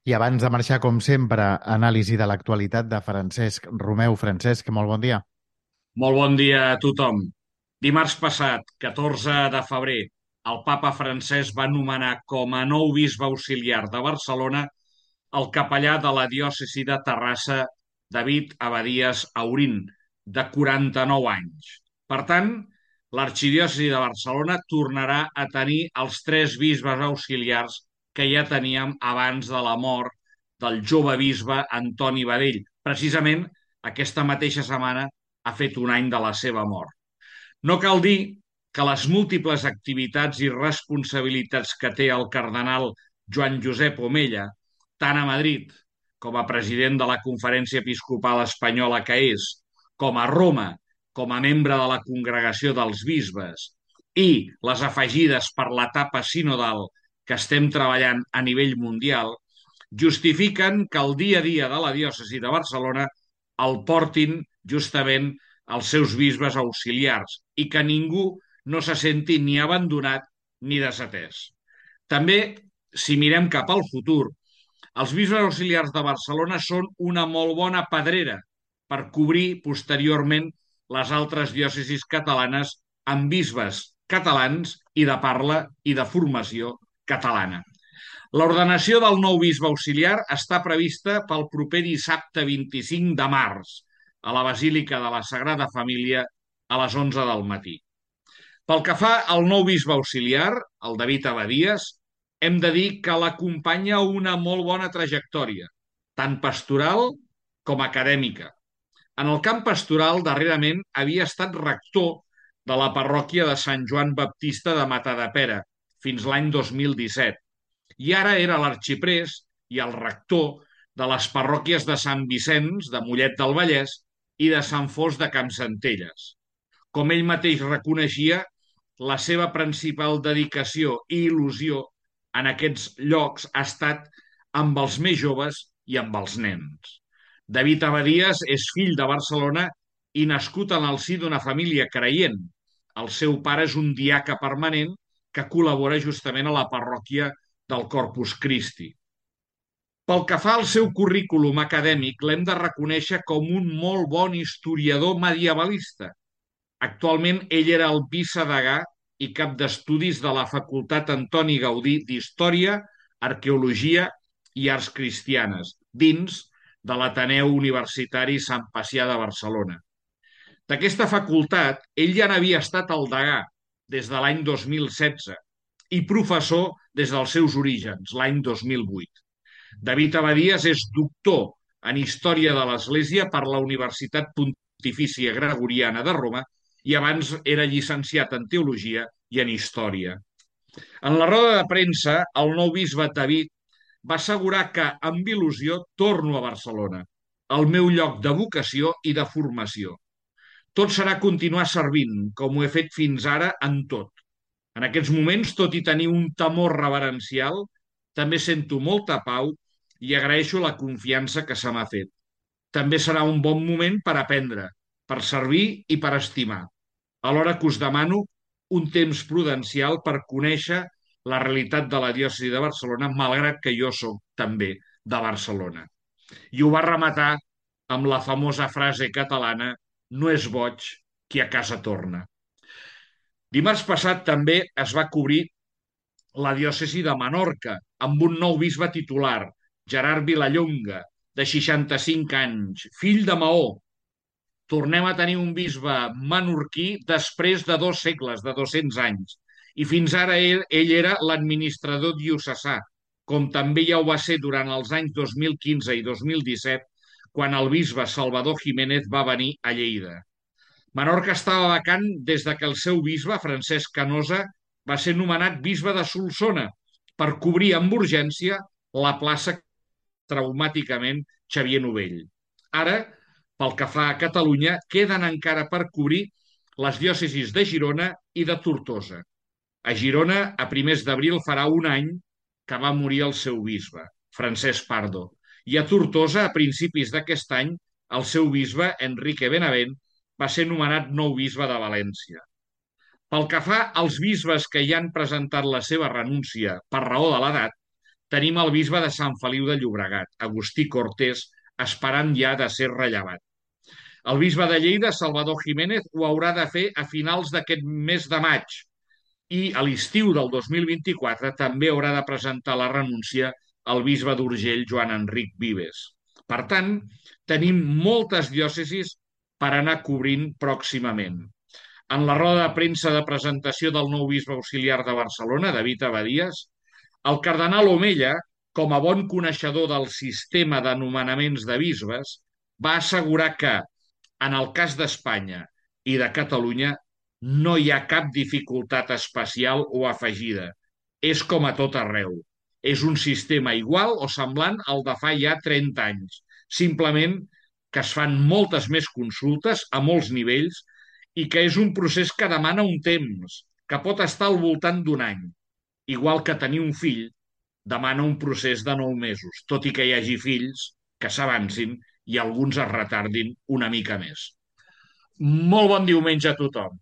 I abans de marxar, com sempre, anàlisi de l'actualitat de Francesc Romeu. Francesc, molt bon dia. Molt bon dia a tothom. Dimarts passat, 14 de febrer, el papa Francesc va nomenar com a nou bisbe auxiliar de Barcelona el capellà de la diòcesi de Terrassa, David Abadías Aurín, de 49 anys. Per tant, l'arxidiòcesi de Barcelona tornarà a tenir els tres bisbes auxiliars que ja teníem abans de la mort del jove bisbe Antoni Badell. Precisament aquesta mateixa setmana ha fet un any de la seva mort. No cal dir que les múltiples activitats i responsabilitats que té el cardenal Joan Josep Omella, tant a Madrid com a president de la Conferència Episcopal Espanyola que és, com a Roma, com a membre de la Congregació dels Bisbes, i les afegides per l'etapa sinodal que estem treballant a nivell mundial, justifiquen que el dia a dia de la diòcesi de Barcelona el portin justament els seus bisbes auxiliars i que ningú no se senti ni abandonat ni desatès. També, si mirem cap al futur, els bisbes auxiliars de Barcelona són una molt bona pedrera per cobrir posteriorment les altres diòcesis catalanes amb bisbes catalans i de parla i de formació catalana. L'ordenació del nou bisbe auxiliar està prevista pel proper dissabte 25 de març a la Basílica de la Sagrada Família a les 11 del matí. Pel que fa al nou bisbe auxiliar, el David Abadías, hem de dir que l'acompanya una molt bona trajectòria, tant pastoral com acadèmica. En el camp pastoral, darrerament, havia estat rector de la parròquia de Sant Joan Baptista de Matadepera fins l'any 2017 i ara era l'arxiprés i el rector de les parròquies de Sant Vicenç, de Mollet del Vallès, i de Sant Fost de Campsentelles. Com ell mateix reconeixia, la seva principal dedicació i il·lusió en aquests llocs ha estat amb els més joves i amb els nens. David Abadías és fill de Barcelona i nascut en el si d'una família creient. El seu pare és un diaca permanent que col·labora justament a la parròquia del Corpus Christi. Pel que fa al seu currículum acadèmic, l'hem de reconèixer com un molt bon historiador medievalista. Actualment ell era el vicedegà i cap d'estudis de la Facultat Antoni Gaudí d'Història, Arqueologia i Arts Cristianes, dins de l'Ateneu Universitari Sant Pacià de Barcelona. D'aquesta facultat, ell ja n'havia estat el degà des de l'any 2016 i professor des dels seus orígens, l'any 2008. David Abadías és doctor en Història de l'Església per la Universitat Pontifícia Gregoriana de Roma i abans era llicenciat en Teologia i en Història. En la roda de premsa, el nou bisbe David va assegurar que, amb il·lusió, torno a Barcelona, el meu lloc de vocació i de formació. Tot serà continuar servint, com ho he fet fins ara en tot. En aquests moments, tot i tenir un temor reverencial, també sento molta pau i agraeixo la confiança que se m'ha fet. També serà un bon moment per aprendre, per servir i per estimar. Alhora que us demano un temps prudencial per conèixer la realitat de la diòcesi de Barcelona, malgrat que jo sóc també de Barcelona. I ho va rematar amb la famosa frase catalana: no és boig qui a casa torna. Dimarts passat també es va cobrir la diòcesi de Menorca amb un nou bisbe titular, Gerard Vilallonga, de 65 anys, fill de Maó. Tornem a tenir un bisbe menorquí després de 2 segles, de 200 anys. I fins ara ell era l'administrador diocesà, com també ja ho va ser durant els anys 2015 i 2017, quan el bisbe Salvador Jiménez va venir a Lleida. Menorca estava vacant des de que el seu bisbe, Francesc Canosa, va ser nomenat bisbe de Solsona per cobrir amb urgència la plaça traumàticament Xavier Novell. Ara, pel que fa a Catalunya, queden encara per cobrir les diòcesis de Girona i de Tortosa. A Girona, a primers d'abril, farà un any que va morir el seu bisbe, Francesc Pardo, i a Tortosa, a principis d'aquest any, el seu bisbe, Enrique Benavent, va ser nomenat nou bisbe de València. Pel que fa als bisbes que ja han presentat la seva renúncia per raó de l'edat, tenim el bisbe de Sant Feliu de Llobregat, Agustí Cortés, esperant ja de ser rellevat. El bisbe de Lleida, Salvador Jiménez, ho haurà de fer a finals d'aquest mes de maig i a l'estiu del 2024 també haurà de presentar la renúncia al bisbe d'Urgell, Joan Enric Vives. Per tant, tenim moltes diòcesis per anar cobrint pròximament. En la roda de premsa de presentació del nou bisbe auxiliar de Barcelona, David Abadías, el cardenal Omella, com a bon coneixedor del sistema de nomenaments de bisbes, va assegurar que, en el cas d'Espanya i de Catalunya, no hi ha cap dificultat especial o afegida. És com a tot arreu. És un sistema igual o semblant al de fa ja 30 anys. Simplement que es fan moltes més consultes a molts nivells i que és un procés que demana un temps, que pot estar al voltant d'un any. Igual que tenir un fill demana un procés de 9 mesos, tot i que hi hagi fills que s'avancin i alguns es retardin una mica més. Molt bon diumenge a tothom.